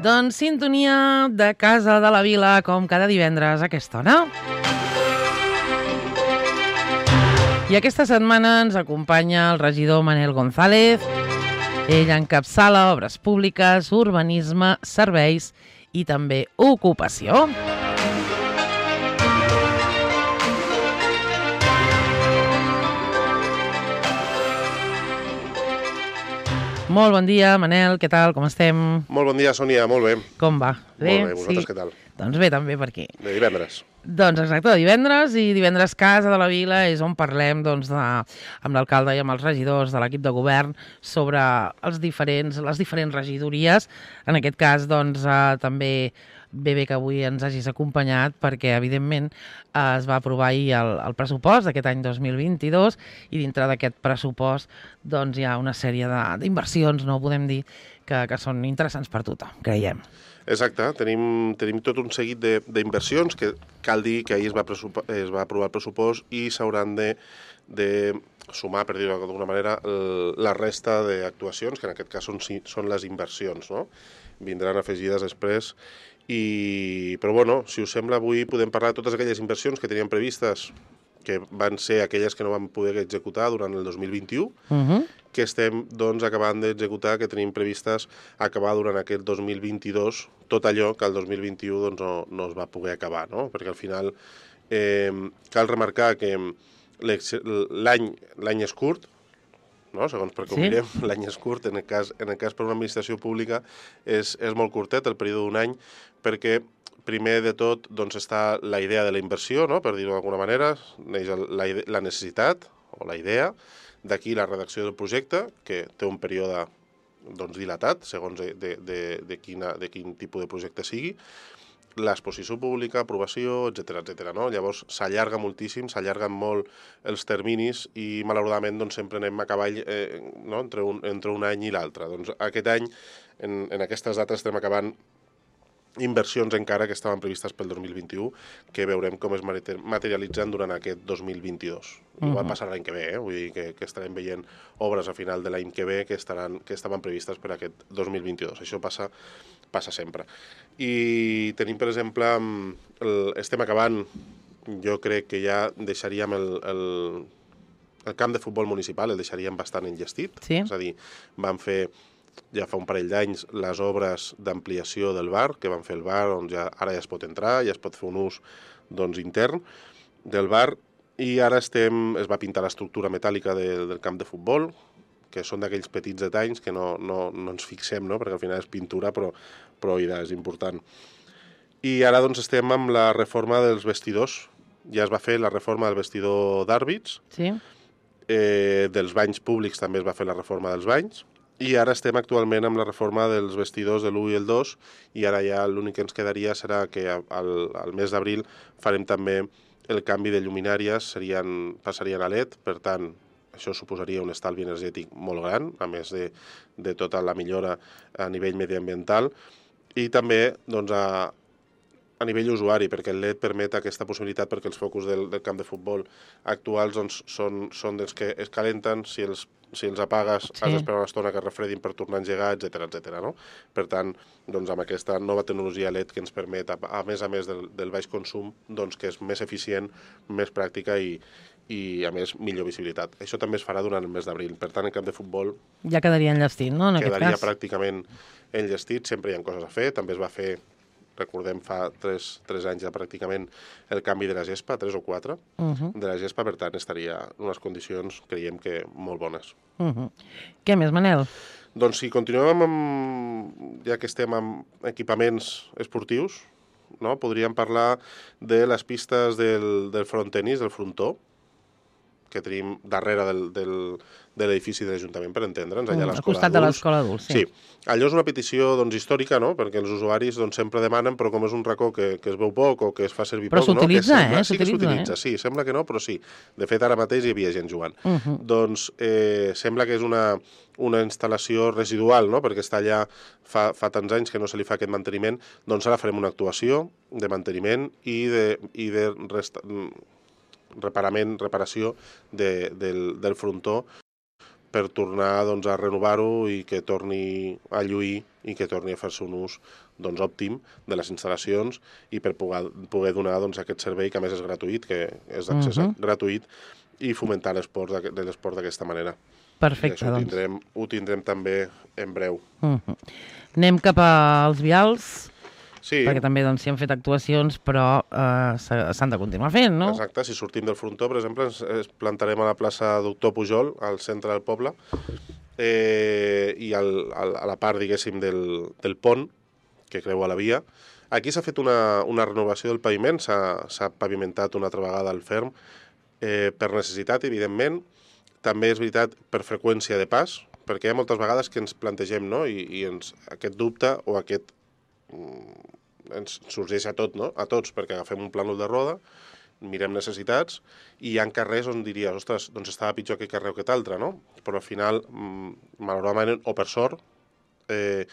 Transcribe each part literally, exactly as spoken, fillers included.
Doncs sintonia de Casa de la Vila, com cada divendres a aquesta hora. I aquesta setmana ens acompanya el regidor Manel González. Ell encapçala obres públiques, urbanisme, serveis i també ocupació. Molt bon dia, Manel, què tal, com estem? Molt bon dia, Sònia, molt bé. Com va? Bé? Molt bé, vosaltres sí. Què tal? Doncs bé, també per aquí. De divendres. Doncs exacte, de divendres, i divendres Casa de la Vila és on parlem doncs, de, amb l'alcalde i amb els regidors de l'equip de govern sobre els diferents, les diferents regidories. En aquest cas, doncs, eh, també bé bé que avui ens hagis acompanyat perquè, evidentment, eh, es va aprovar ahir el, el pressupost d'aquest any dos mil vint-i-dos i dintre d'aquest pressupost doncs, hi ha una sèrie d'inversions, no podem dir, que, que són interessants per tothom, creiem. Exacte, tenim, tenim tot un seguit d'inversions que cal dir que ahir es va, es va aprovar el pressupost i s'hauran de, de sumar, per dir-ho d'alguna manera, el, la resta d'actuacions, que en aquest cas són, són les inversions, no? Vindran afegides després. I, però bueno, si us sembla, avui podem parlar de totes aquelles inversions que teníem previstes, que van ser aquelles que no vam poder executar durant el dos mil vint-i-u, uh-huh. que estem doncs, acabant d'executar, que tenim previstes acabar durant aquest dos mil vint-i-dos, tot allò que el dos mil vint-i-u doncs, no, no es va poder acabar, no? Perquè al final eh, cal remarcar que l'any l'any és curt, no? Segons per com sí. mirem, l'any és curt, en el cas, en el cas per una administració pública és, és molt curtet, el període d'un any, perquè primer de tot doncs, està la idea de la inversió, no? Per dir-ho d'alguna manera, neix la, la necessitat o la idea, d'aquí la redacció del projecte, que té un període doncs, dilatat, segons de, de, de, de, quina, de quin tipus de projecte sigui, l'exposició pública, aprovació, etcètera, etcètera, no? Llavors s'allarga moltíssim, s'allarguen molt els terminis i malauradament doncs, sempre anem a cavall eh, no? entre, un, entre un any i l'altre. Doncs aquest any, en, en aquestes dates, estem acabant inversions encara que estaven previstes pel dos mil vint-i-u, que veurem com es materialitzen durant aquest dos mil vint-i-dos. Uh-huh. Igual passarà l'any que ve, eh? Vull dir que, que estarem veient obres a final de l'any que ve que, estaran, que estaven previstes per aquest dos mil vint-i-dos. Això passa, passa sempre. I tenim, per exemple, el, estem acabant, jo crec que ja deixaríem el, el, el camp de futbol municipal, el deixaríem bastant enllestit. Sí. És a dir, vam fer ja fa un parell d'anys les obres d'ampliació del bar, que van fer el bar, on ja, ara ja es pot entrar, ja es pot fer un ús doncs, intern del bar, i ara estem, es va pintar l'estructura metàl·lica de, del camp de futbol, que són d'aquells petits detalls que no, no, no ens fixem, no? Perquè al final és pintura, però, però idea, és important. I ara doncs, estem amb la reforma dels vestidors. Ja es va fer la reforma del vestidor d'àrbits, sí. eh, dels banys públics també es va fer la reforma dels banys, i ara estem actualment amb la reforma dels vestidors de l'u i el dos, i ara ja l'únic que ens quedaria serà que al, al mes d'abril farem també el canvi de lluminàries, serien, passarien a L E D, per tant, això suposaria un estalvi energètic molt gran, a més de, de tota la millora a nivell mediambiental, i també doncs, a, a nivell usuari, perquè el L E D permet aquesta possibilitat perquè els focus del, del camp de futbol actuals doncs, són, són dels que es calenten, si els si els apagues sí. has d'esperar una estona que es refredin per tornar a engegar, etcètera, etcètera, no? Per tant, doncs, amb aquesta nova tecnologia L E D que ens permet, a, a més a més del, del baix consum, doncs, que és més eficient, més pràctica i, i, a més, millor visibilitat. Això també es farà durant el mes d'abril. Per tant, en camp de futbol ja quedaria enllestit, no? En quedaria aquest cas. pràcticament enllestit. Sempre hi ha coses a fer. També es va fer, recordem, fa tres, tres anys ja pràcticament el canvi de la gespa, tres o quatre, uh-huh. de la gespa, per tant, estaria en unes condicions, creiem que, molt bones. Uh-huh. Què més, Manel? Doncs si continuem amb, ja que estem amb equipaments esportius, no? Podríem parlar de les pistes del, del frontenis, del frontó, que tenim darrere del, del, de l'edifici de l'Ajuntament, per entendre'ns, allà a l'escola adults. Al costat de l'escola adults, sí. Sí. Allò és una petició doncs, històrica, no? Perquè els usuaris doncs, sempre demanen, però com és un racó que, que es veu poc o que es fa servir però poc... Però s'utilitza, no? eh? Sí que s'utilitza, eh? Sí, sembla que no, però sí. De fet, ara mateix hi havia gent jugant. Uh-huh. Doncs eh, sembla que és una, una instal·lació residual, no? Perquè està allà fa, fa tants anys que no se li fa aquest manteniment, doncs ara farem una actuació de manteniment i de, i de resta... reparament, reparació de, del, del frontó per tornar doncs, a renovar-ho i que torni a lluir i que torni a fer-se un ús doncs, òptim de les instal·lacions i per poder, poder donar doncs, aquest servei que a més és gratuït, que és d'accés uh -huh. gratuït, i fomentar l'esport d'aquesta manera. Perfecte, I això ho doncs. tindrem, ho tindrem també en breu. Uh -huh. Anem cap als vials, sí. perquè també doncs, s'hi han fet actuacions, però eh, s'han de continuar fent, no? Exacte, si sortim del frontó, per exemple, ens, ens plantarem a la plaça Doctor Pujol, al centre del poble, eh, i al, al, a la part, diguéssim, del, del pont, que creua la via. Aquí s'ha fet una, una renovació del paviment, s'ha pavimentat una altra vegada el ferm, eh, per necessitat, evidentment. També és veritat per freqüència de pas, perquè hi ha moltes vegades que ens plantegem, no?, i, i ens, aquest dubte o aquest... Mm, ens sorgeix a tot, no?, a tots, perquè agafem un plànol de roda, mirem necessitats, i hi ha carrers on diries, ostres, doncs estava pitjor aquest carrer o aquest altre, no? Però al final, mm, malauradament, o per sort, eh,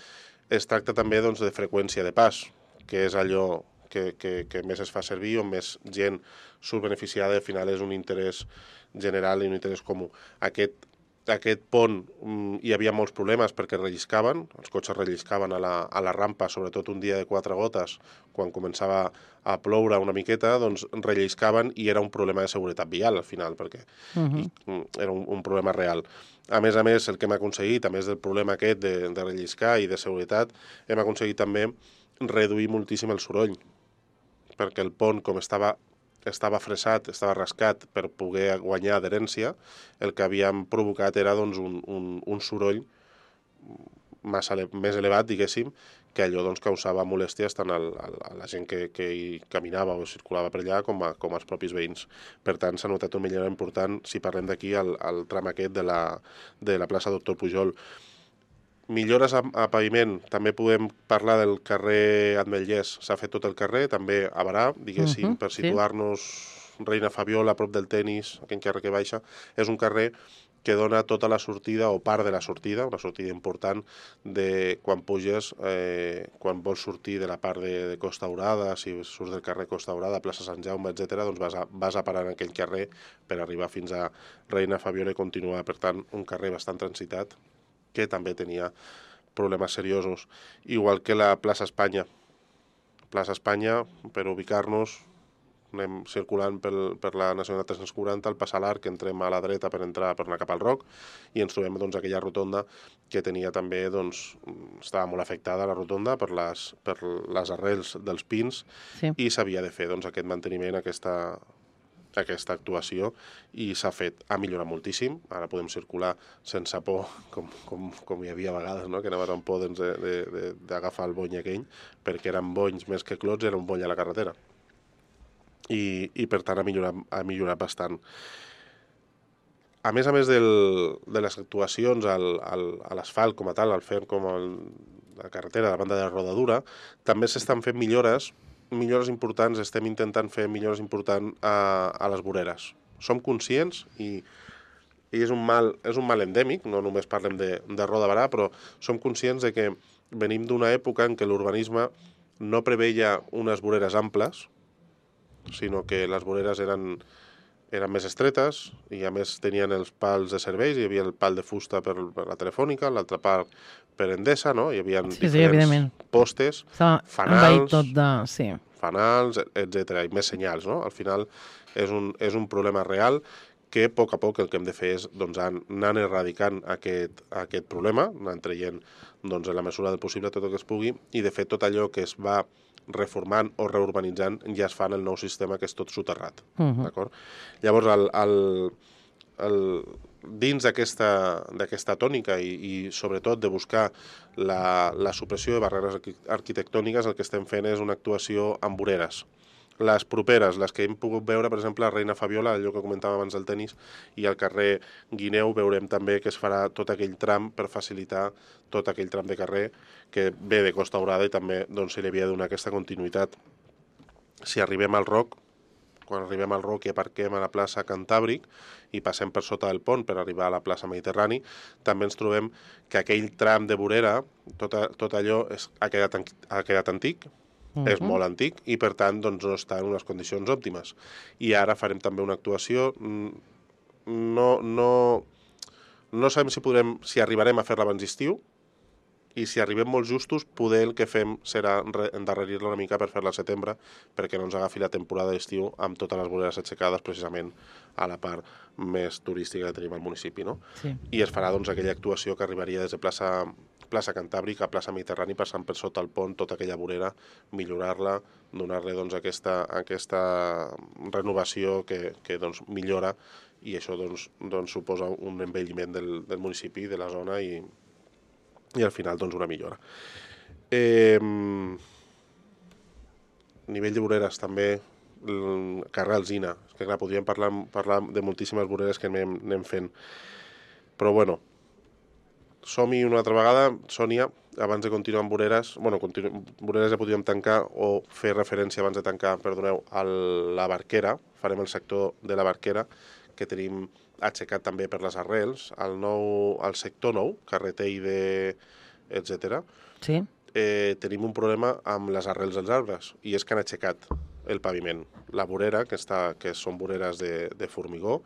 es tracta també doncs, de freqüència de pas, que és allò que, que, que més es fa servir, on més gent surt beneficiada, al final és un interès general i un interès comú. Aquest, aquest pont mm, hi havia molts problemes perquè relliscaven, els cotxes relliscaven a la, a la rampa, sobretot un dia de quatre gotes, quan començava a ploure una miqueta, doncs relliscaven i era un problema de seguretat vial al final, perquè uh -huh. i, era un, un problema real. A més a més, el que hem aconseguit, a més del problema aquest de, de relliscar i de seguretat, hem aconseguit també reduir moltíssim el soroll, perquè el pont, com estava, estava fresat, estava rascat per poder guanyar adherència, el que havíem provocat era doncs, un, un, un soroll massa ele més elevat, diguéssim, que allò doncs, causava molèsties tant al, a la gent que, que hi caminava o circulava per allà com, a, com als propis veïns. Per tant, s'ha notat una millora important si parlem d'aquí al, al tram aquest de la, de la plaça Doctor Pujol. Millores a, a paviment, també podem parlar del carrer Ametllers, s'ha fet tot el carrer, també a Barà, diguéssim, uh -huh, per situar-nos sí. Reina Fabiola, a prop del tenis, aquell carrer que baixa, és un carrer que dona tota la sortida, o part de la sortida, una sortida important, de quan puges, eh, quan vols sortir de la part de, de Costa Daurada, si surts del carrer Costa Daurada, plaça Sant Jaume, etcètera, doncs vas a, vas a parar en aquell carrer per arribar fins a Reina Fabiola i continuar. Per tant, un carrer bastant transitat, que també tenia problemes seriosos. Igual que la plaça Espanya. Plaça Espanya, per ubicar-nos, anem circulant pel, per la Nacional tres-cents quaranta, al passar l'Arc, entrem a la dreta per entrar per anar cap al Roc, i ens trobem doncs, aquella rotonda que tenia també, doncs, estava molt afectada la rotonda per les, per les arrels dels pins, sí. I s'havia de fer doncs, aquest manteniment, aquesta... aquesta actuació, i s'ha fet, ha millorat moltíssim, ara podem circular sense por, com, com, com hi havia a vegades, no? Que anaves amb por d'agafar el bony aquell, perquè eren bonys més que clots, era un bony a la carretera. I, i per tant ha millorat, ha millorat bastant. A més a més del, de les actuacions al, al, a l'asfalt com a tal, al fer com el, la carretera, la banda de rodadura, també s'estan fent millores millores importants, estem intentant fer millores importants a, a les voreres. Som conscients i, i és, un mal, és un mal endèmic, no només parlem de, de Roda de Barà, però som conscients de que venim d'una època en què l'urbanisme no preveia unes voreres amples, sinó que les voreres eren, eren més estretes i a més tenien els pals de serveis, hi havia el pal de fusta per, per la Telefònica, l'altre pal per Endesa, no? Hi havia sí, diferents sí, postes, fanals, tot de... sí. fanals, etcètera, i més senyals, no? Al final és un, és un problema real que a poc a poc el que hem de fer és doncs, anar erradicant aquest, aquest problema, anar traient doncs, en la mesura del possible tot el que es pugui, i de fet tot allò que es va reformant o reurbanitzant ja es fa en el nou sistema, que és tot soterrat. Uh -huh. D'acord? Llavors, el, el, el, dins d'aquesta tònica i, i sobretot de buscar la, la supressió de barreres arquitectòniques, el que estem fent és una actuació amb voreres. Les properes, les que hem pogut veure, per exemple, a Reina Fabiola, allò que comentàvem abans del tenis, i al carrer Guineu veurem també que es farà tot aquell tram per facilitar tot aquell tram de carrer que ve de Costa Daurada i també doncs, se li havia de donar aquesta continuïtat. Si arribem al Roc, quan arribem al Roc i aparquem a la plaça Cantàbric i passem per sota del pont per arribar a la plaça Mediterrani, també ens trobem que aquell tram de vorera, tot, tot allò és, ha, quedat, ha quedat antic, uh -huh. és molt antic i per tant doncs, no està en unes condicions òptimes. I ara farem també una actuació, no, no, no sabem si, podrem, si arribarem a fer-la abans d'estiu, i si arribem molt justos, poder el que fem serà endarrerir-la una mica per fer-la al setembre, perquè no ens agafi la temporada d'estiu amb totes les voreres aixecades precisament a la part més turística que tenim al municipi, no? Sí. I es farà doncs, aquella actuació que arribaria des de plaça, plaça Cantàbrica a plaça Mediterrani, passant per sota el pont, tota aquella vorera, millorar-la, donar-li doncs, aquesta, aquesta renovació que, que doncs, millora, i això doncs, doncs, suposa un envelliment del, del municipi, de la zona, i i al final doncs una millora. Eh, nivell de voreres també, el carrer Alzina, és que clar, podríem parlar, parlar de moltíssimes voreres que anem, anem fent, però bueno, som-hi una altra vegada, Sònia, abans de continuar amb voreres, bueno, continu, voreres ja podríem tancar o fer referència abans de tancar, perdoneu, a la Barquera, farem el sector de la Barquera, que tenim aixecat també per les arrels, al, nou, al sector nou, carretell de... etcètera. Sí. Eh, tenim un problema amb les arrels dels arbres, i és que han aixecat el paviment. La vorera, que, està, que són voreres de, de formigó,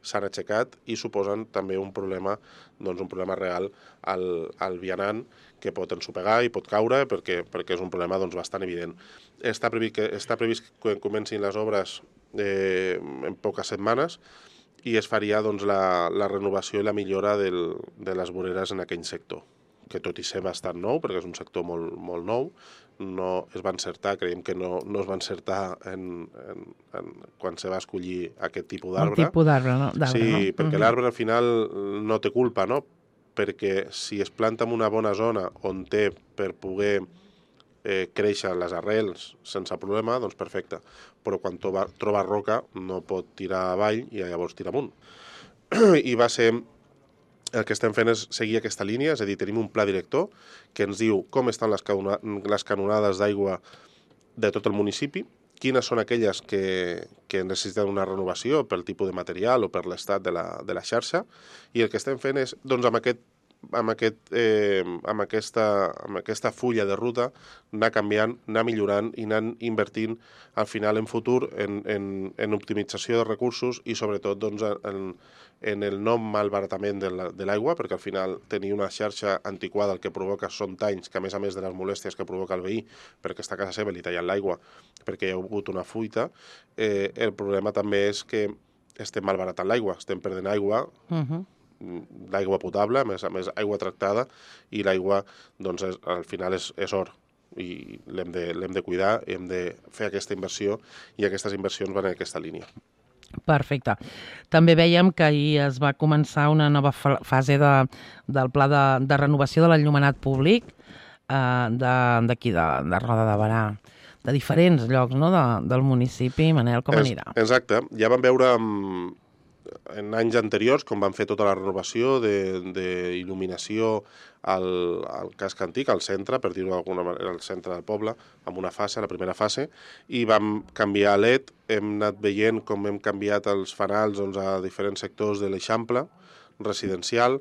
s'han aixecat i suposen també un problema, doncs un problema real al, al vianant, que pot ensopegar i pot caure, perquè, perquè és un problema doncs, bastant evident. Està previst que, està previst que comencin les obres eh, en poques setmanes, i es faria doncs, la, la renovació i la millora del, de les voreres en aquell sector, que tot i ser bastant nou, perquè és un sector molt, molt nou, no es va encertar, creiem que no, no es va encertar en, en, en, quan se va escollir aquest tipus d'arbre. Un tipus d'arbre, no? Sí, no? perquè uh-huh. l'arbre al final no té culpa, no? Perquè si es planta en una bona zona on té per poder eh, créixer les arrels sense problema, doncs perfecte. Però quan troba, troba roca no pot tirar avall i llavors tira amunt. I va ser... El que estem fent és seguir aquesta línia, és a dir, tenim un pla director que ens diu com estan les, canona, les canonades d'aigua de tot el municipi, quines són aquelles que, que necessiten una renovació pel tipus de material o per l'estat de, la, de la xarxa, i el que estem fent és, doncs, amb aquest amb, aquest, eh, amb, aquesta, amb aquesta fulla de ruta anar canviant, anar millorant i anar invertint al final en futur en, en, en optimització de recursos i sobretot doncs, en, en el no malbaratament de l'aigua, perquè al final tenir una xarxa antiquada el que provoca són danys que a més a més de les molèsties que provoca el veí perquè està a casa seva li tallant l'aigua perquè hi ha hagut una fuita, eh, el problema també és que estem malbaratant l'aigua, estem perdent aigua, uh-huh. l'aigua potable, a més a més aigua tractada, i l'aigua doncs, és, al final és, és or i l'hem de, l'hem de cuidar, hem de fer aquesta inversió i aquestes inversions van en aquesta línia. Perfecte. També veiem que ahir es va començar una nova fase de, del pla de, de renovació de l'enllumenat públic eh, d'aquí, de, de, de Roda de Berà, de diferents llocs, no?, de, del municipi. Manel, com anirà? Exacte. Ja vam veure en anys anteriors, com van fer tota la renovació d'il·luminació al, al casc antic, al centre, per dir-ho d'alguna manera, al centre del poble, amb una fase, la primera fase, i vam canviar a L E D, hem anat veient com hem canviat els fanals doncs, a diferents sectors de l'Eixample residencial,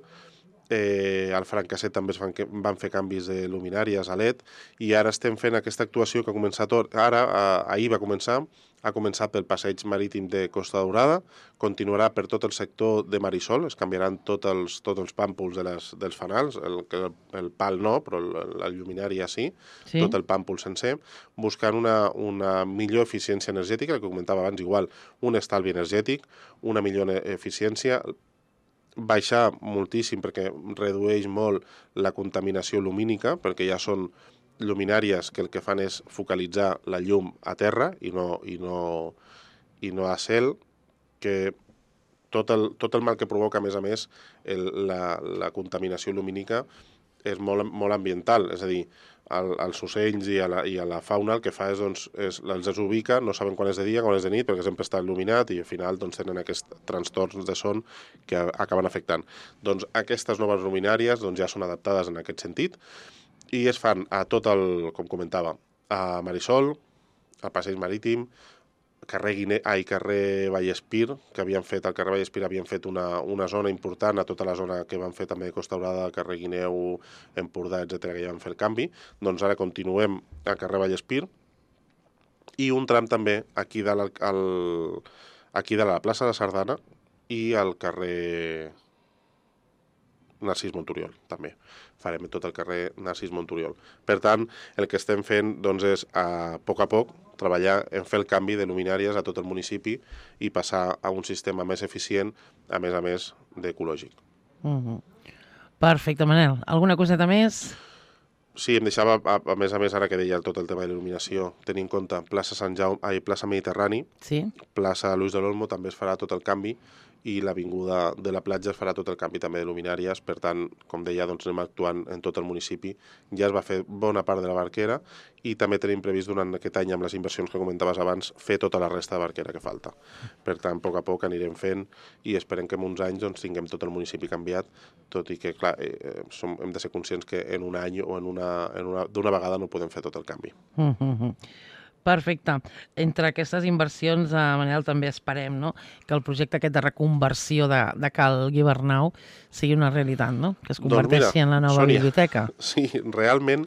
eh, al Francasset també es van, van fer canvis de luminàries a L E D, i ara estem fent aquesta actuació que ha començat ara, ahir va començar, ha començat pel passeig marítim de Costa Daurada, continuarà per tot el sector de Marisol, es canviaran tots els, tots els pàmpols de les, dels fanals, el, el pal no, però la lluminària sí, sí, tot el pàmpol sencer, buscant una, una millor eficiència energètica, el que comentava abans, igual, un estalvi energètic, una millor eficiència, baixar moltíssim perquè redueix molt la contaminació lumínica, perquè ja són luminàries que el que fan és focalitzar la llum a terra i no, i no, i no a cel, que tot el, tot el mal que provoca, a més a més, el, la, la contaminació lumínica és molt, molt ambiental, és a dir, el, els ocells i a, la, i a la fauna el que fa és, doncs, és els desubica, no saben quan és de dia, quan és de nit, perquè sempre està il·luminat i al final doncs, tenen aquests trastorns de son que acaben afectant. Doncs aquestes noves luminàries doncs, ja són adaptades en aquest sentit, i es fan a tot el, com comentava, a Marisol, al Passeig Marítim, carrer, Guine, ai, carrer Vallespir, que havien fet, al carrer Vallespir havien fet una, una zona important, a tota la zona que van fer també de Costa Daurada, carrer Guineu, Empordà, etcètera, que ja van fer el canvi, doncs ara continuem al carrer Vallespir, i un tram també aquí de la, al, aquí de la plaça de Sardana i al carrer... Narcís Monturiol, també. Farem tot el carrer Narcís Monturiol. Per tant, el que estem fent doncs, és, a poc a poc, treballar en fer el canvi de luminàries a tot el municipi i passar a un sistema més eficient, a més a més d'ecològic. Uh-huh. Perfecte, Manel. Alguna coseta més? Sí, em deixava, a, a més a més, ara que deia tot el tema de l'il·luminació, tenir en compte plaça Sant Jaume, ai, plaça Mediterrani, sí. plaça Luis de l'Olmo també es farà tot el canvi, i l'avinguda de la platja es farà tot el canvi també de luminàries. Per tant, com deia, doncs anem actuant en tot el municipi. Ja es va fer bona part de la Barquera i també tenim previst durant aquest any, amb les inversions que comentaves abans, fer tota la resta de Barquera que falta. Per tant, a poc a poc anirem fent i esperem que en uns anys doncs, tinguem tot el municipi canviat, tot i que, clar, eh, som, hem de ser conscients que en un any o en una, en una, d'una vegada no podem fer tot el canvi. Mm-hmm. Perfecte. Entre aquestes inversions, eh, Manel, també esperem, no?, que el projecte aquest de reconversió de, de Cal Guibernau sigui una realitat, no?, que es converteixi doncs mira, en la nova Sònia, biblioteca. Sí, realment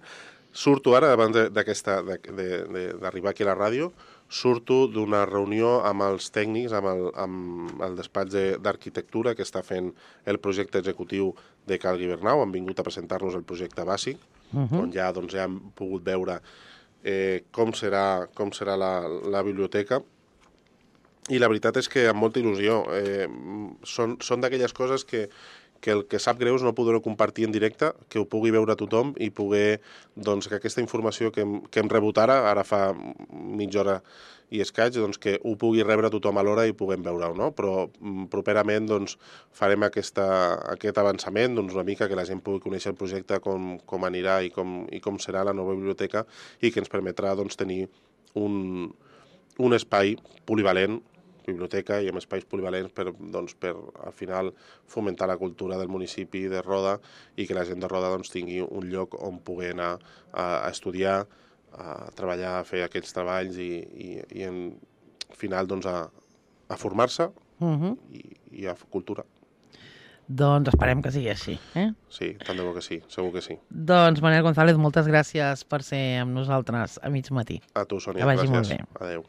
surto ara, abans d'arribar aquí a la ràdio, surto d'una reunió amb els tècnics, amb el, amb el despatx d'arquitectura que està fent el projecte executiu de Cal Guibernau. Han vingut a presentar-nos el projecte bàsic, uh-huh. on ja, doncs, ja hem pogut veure Eh, com serà, com serà la, la biblioteca, i la veritat és que amb molta il·lusió. Eh, són són d'aquelles coses que, que el que sap greu és no poder-ho compartir en directe, que ho pugui veure tothom i poder, doncs, que aquesta informació que hem, que hem rebut ara, ara fa mitja hora i escaig, doncs, que ho pugui rebre tothom a l'hora i puguem veure-ho, no? Però properament doncs, farem aquesta, aquest avançament, doncs, una mica que la gent pugui conèixer el projecte, com, com anirà i com, i com serà la nova biblioteca, i que ens permetrà doncs, tenir un, un espai polivalent, biblioteca i amb espais polivalents per, doncs, per al final fomentar la cultura del municipi de Roda i que la gent de Roda doncs, tingui un lloc on poder anar a, a estudiar, a treballar, a fer aquests treballs i, i, i en final doncs, a, a formar-se uh-huh. i, i a fer cultura. Doncs esperem que sigui així. Eh? Sí, tant de bo que sí, segur que sí. Doncs Manel González, moltes gràcies per ser amb nosaltres a mig matí. A tu, Sònia, que vagi gràcies. Molt bé. Adéu.